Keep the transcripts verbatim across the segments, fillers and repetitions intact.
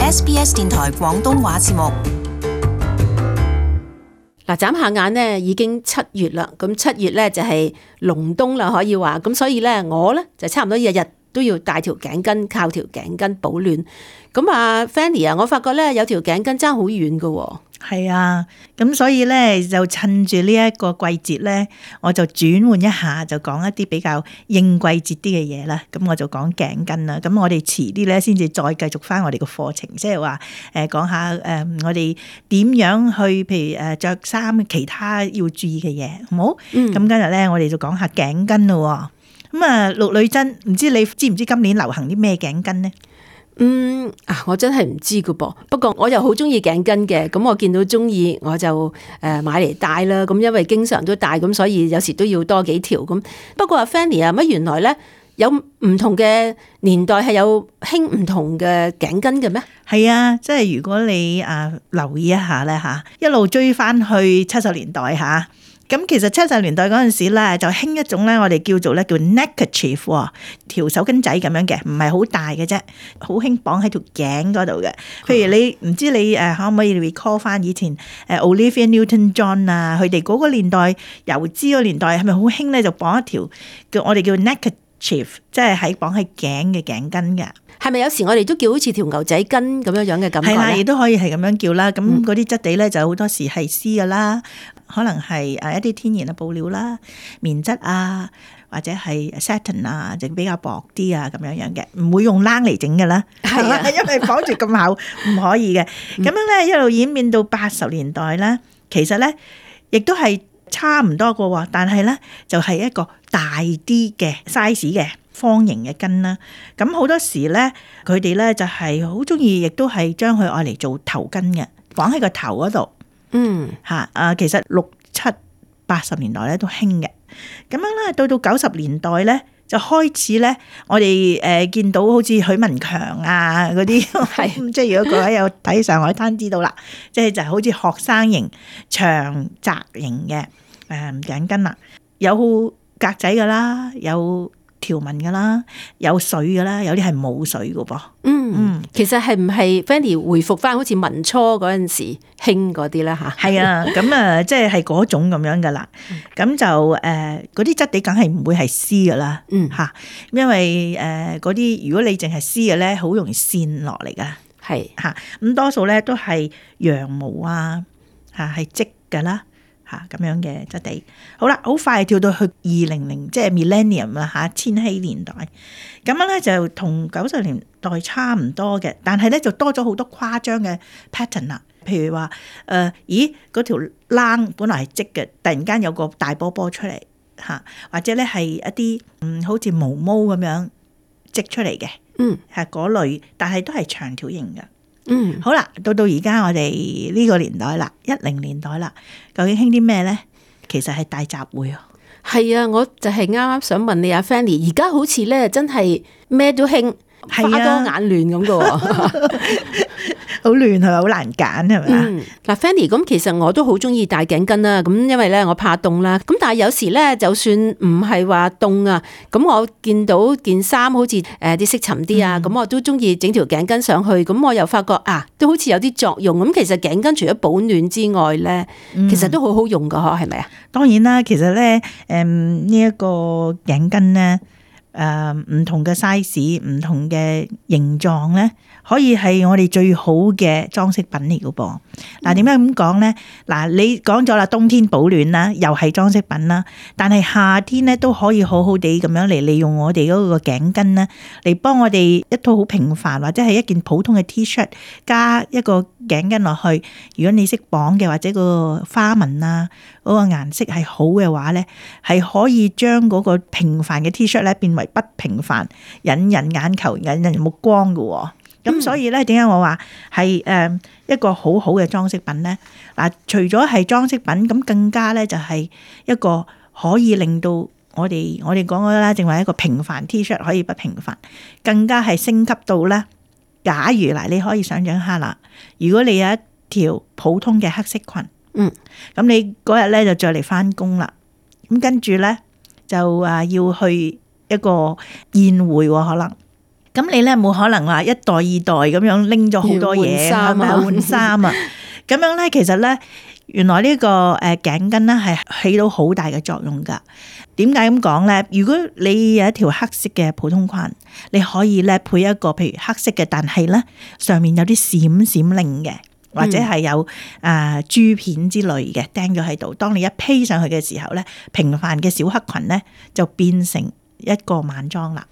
S B S 電台廣東話節目。嗱，眨下眼呢已經七月啦，咁七月咧就係隆冬啦，可以話，咁所以咧我咧就差唔多日日都要戴條頸巾，靠條頸巾保暖。咁啊 Fanny 啊，我發覺咧有條頸巾爭好遠噶喎。係啊，咁所以咧就趁住呢一個季節咧，我就轉換一下，就講一啲比較應季節啲嘅嘢啦。咁我就講頸巾啦。咁我哋遲啲咧先至再繼續翻我哋個課程，即係話誒講下誒、呃、我哋點樣去，譬如誒着衫其他要注意嘅嘢，好冇？咁、嗯、今日咧我哋就講下頸巾咯。咁啊，陸女珍，唔知你知唔知今年流行啲咩頸巾咧？嗯啊，我真係唔知噶噃。不過我又好中意頸巾嘅，咁我見到中意我就誒買嚟戴啦。咁因為經常都戴，咁所以有時都要多幾條咁。不過阿 Fanny 啊，乜原來咧有唔同嘅年代係有興唔同嘅頸巾嘅咩？係啊，即係如果你啊留意一下咧吓，一路追翻去七十年代吓。咁其實七十年代嗰陣時咧，就興一種咧，我哋叫做咧叫 neckerchief， 條手巾仔咁樣嘅，唔係好大嘅啫，好興綁喺條頸嗰度嘅。譬如你唔知你誒可唔可以 recall 翻以前誒 Olivia Newton-John 啊，佢哋嗰個年代油脂個年代係咪好興咧？就綁一條叫我哋叫 neckerchief， 即係喺綁喺頸嘅頸巾嘅。係咪有時我哋都叫好似條牛仔巾咁樣樣嘅感覺咧？係啦，亦都可以係咁樣叫啦。咁嗰啲質地咧就好多時係絲噶啦，可能係誒一啲天然嘅布料啦、棉質啊，或者係 satin 啊，就比較薄啲啊咁樣樣嘅，唔會用冷嚟整嘅啦。係啊，因為綁住咁厚唔可以嘅。咁樣咧一路演變到八十年代咧，其實咧亦都係差唔多個喎，但係咧就係一個大啲嘅 size 嘅。方形嘅巾啦，咁好多時咧，佢哋咧就係好中意，亦都係將佢愛嚟做頭巾嘅，綁喺個頭嗰度。嗯，嚇啊，其實六七八十年代咧都興嘅，咁樣咧到到九十年代咧就開始咧，我哋誒見到好似許文強啊嗰啲，係即係如果各位有睇上海灘知道啦，即係就係好似學生型長窄型嘅誒頸巾啦，有格仔噶啦，有條紋噶啦，有水噶啦，有啲係冇水噶噃。嗯嗯，其實係唔係 Fanny 回復翻好似民初嗰陣時興嗰啲啦吓？係啊，咁啊，即係係嗰種咁樣噶啦。咁就誒，嗰啲質地梗係唔會係絲噶啦。嗯吓，因為誒嗰啲如果你淨係絲嘅咧，好容易跣落嚟噶。係吓，咁多數咧都係羊毛啊吓，係織噶啦。嚇咁樣嘅質地，好啦，好快跳到去二零零，即係 millennium 啦嚇，千禧年代，咁樣咧就同九十年代差唔多嘅，但係咧就多咗好多誇張嘅 pattern 啦，譬如話誒、呃，咦嗰條冷本來係織嘅，突然間有個大波波出嚟嚇，或者咧係一啲嗯好似毛毛咁樣織出嚟嘅，嗯係嗰類，但係都係長條型嘅。嗯，好啦，到到而家我哋呢個年代啦，一零年代啦，究竟興啲咩咧？其實係大集會啊。係啊，我就係啱啱想問你阿 Fanny，而家好似咧真係咩都興，花多眼亂咁噶。好亂係咪？好難揀係咪啊？嗱 Fanny，咁其實我都好中意戴頸巾啦。咁因為咧我怕凍啦。咁但係有時咧，就算唔係話凍啊，咁我見到件衫好似誒啲色沉啲啊，咁、嗯、我都中意整條頸巾上去。咁我又發覺啊，都好似有啲作用。咁其實頸巾除咗保暖之外咧，其實都好好用噶，嗬，係咪啊？當然啦，其實咧，誒呢一個頸巾咧，誒唔同嘅 size， 唔同嘅形狀咧。可以係我哋最好嘅裝飾品嚟嘅噃。嗱，點解咁講咧？嗱，你講咗啦，冬天保暖啦，又係裝飾品啦。但係夏天咧都可以好好地咁樣嚟利用我哋嗰個頸巾咧，嚟幫我哋一套好平凡或者係一件普通嘅 T-shirt 加一個頸巾落去。如果你識綁嘅或者個花紋啊嗰個顏色係好嘅話咧，係可以將嗰個平凡嘅 T-shirt 咧變為不平凡，引人眼球、引人目光嘅喎。咁、嗯、所以咧，點解我話係誒一個好好嘅裝飾品咧？嗱，除咗係裝飾品，咁更加咧就係一個可以令到我哋我哋講嘅啦，淨係一個平凡 T-shirt 可以不平凡，更加係升級到咧。假如嗱，你可以想象下啦，如果你有一條普通嘅黑色裙，嗯，咁你嗰日咧就着嚟翻工啦，咁跟住咧就啊要去一個宴會喎，可能。咁你咧冇可能話一袋二袋咁樣拎咗好多嘢，係咪換衫啊？咁樣咧，其實咧，原來呢個誒頸巾咧係起到好大嘅作用噶。點解咁講咧？如果你有一條黑色嘅普通裙，你可以咧配一個譬如黑色嘅，但係咧上面有啲閃閃令嘅，或者係有誒珠片之類嘅釘咗喺度。當你一披上去嘅時候咧，平凡嘅小黑裙咧就變成一個晚裝啦。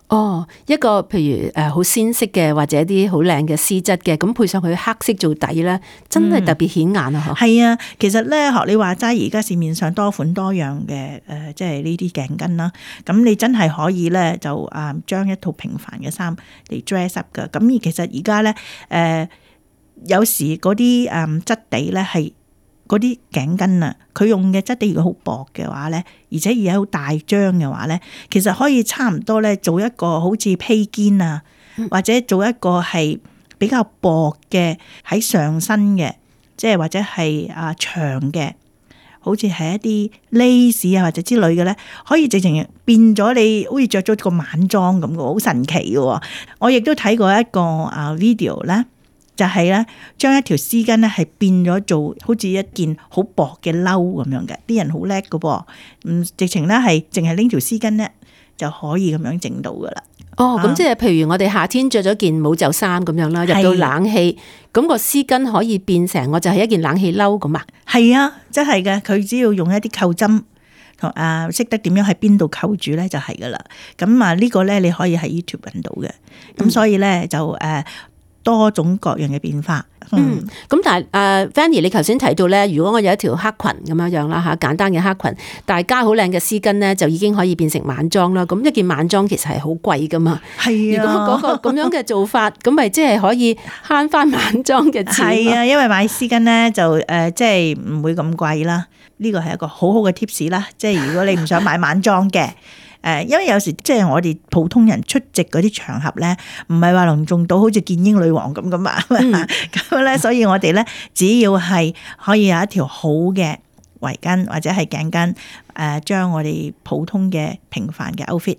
哦，一個譬如誒好鮮色嘅，或者啲好靚嘅絲質嘅，咁配上去黑色做底咧，真係特別顯眼啊！嗬、嗯，係啊，其實咧學你話齋，而家市面上多款多樣嘅誒，即係呢啲頸巾啦。咁你真係可以咧就啊將一套平凡嘅衫嚟 dress up 噶。咁而其實而家咧誒有時嗰啲誒質地咧係。嗰啲頸巾啊，佢用嘅質地如果好薄嘅話咧，而且而家好大張嘅話咧，其實可以差唔多咧做一個好似披肩啊，或者做一個係比較薄嘅喺上身嘅，即係或者係啊長嘅，好似係一啲 lace 啊或者之類嘅咧，可以直情變咗你好似着咗個晚裝咁嘅，好神奇嘅。我亦都睇過一個啊 video 咧。就係咧，將一條絲巾咧係變咗做好似一件好薄嘅褸咁樣嘅，啲人好叻㗎噃，嗯，直情咧係淨係拎條絲巾咧就可以咁樣整到噶啦。哦，咁即係譬如我哋夏天着咗件冇袖衫咁樣啦，入到冷氣，咁個絲巾可以變成我就係一件冷氣褸咁啊？係啊，真係嘅，佢只要用一啲扣針同啊識得點樣喺邊度扣住咧就係噶啦。咁啊呢個咧你可以喺 YouTube 揾到嘅，咁所以咧就誒。呃多種各樣嘅變化，嗯，咁但係誒 Fanny 你頭先提到咧，如果我有一條黑裙咁樣樣啦嚇，簡單嘅黑裙，但係加好靚嘅絲巾咧，就已經可以變成晚裝啦。咁一件晚裝其實係好貴噶嘛，係啊。如果嗰個咁樣嘅做法，咁咪即係可以慳翻晚裝嘅錢。係啊，因為買絲巾咧就誒即係唔會咁貴啦。呢個係一個好好嘅 tips 啦。即係如果你唔想買晚裝嘅。誒，因為有時即係我哋普通人出席嗰啲場合咧，唔係話隆重到好似見英女王咁噶嘛，咁咧、嗯，所以我哋咧只要係可以有一條好嘅圍巾或者係頸巾，誒，將我哋普通嘅平凡嘅 outfit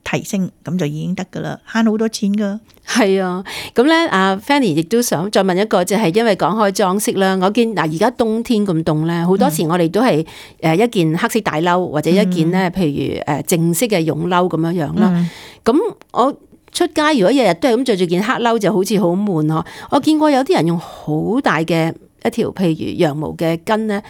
提升，咁就已經得噶啦，慳好多錢噶。係啊，咁咧，阿 Fanny 亦都想再問一個，就係因為講開裝飾啦，我見嗱而家冬天咁凍咧，好多時我哋都係誒一件黑色大褸或者一件咧，譬如誒正式嘅絨褸咁樣樣啦。咁、嗯、我出街如果日日都係咁着住件黑褸，就好似好悶嗬。我見過有啲人用好大嘅一條譬如羊毛嘅巾咧，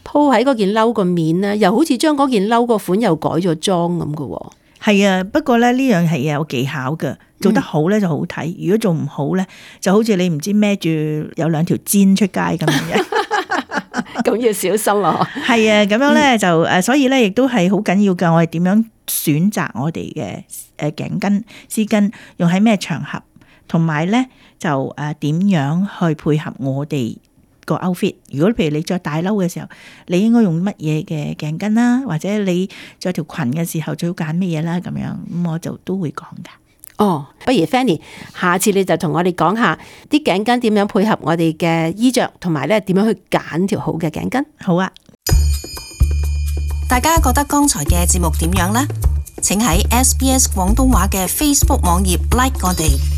鋪喺嗰件褸個面咧，又好似將嗰件褸個款又改咗裝咁噶。係啊，不過咧呢樣係有技巧嘅，做得好咧就好睇，嗯、如果做唔好咧，就好似你唔知孭住有兩條氈出街咁樣，咁要小心咯。係啊，咁樣咧就誒，所以咧亦都係好緊要㗎。我哋點樣選擇我哋嘅誒頸巾、絲巾，用喺咩場合，同埋咧就誒點樣去配合我哋個 outfit。如果譬如你着大褸嘅時候，你應該用乜嘢嘅頸巾啦，或者你着條裙嘅時候最好揀乜嘢啦，咁樣咁我就都會講噶。哦，不如 Fanny，下次你就同我哋講下啲頸巾點樣配合我哋嘅衣着，同埋咧點樣去揀條好嘅頸巾。好啊！大家覺得剛才嘅節目點樣呢？請喺 S B S 廣東話嘅 Facebook 網頁 like 我哋。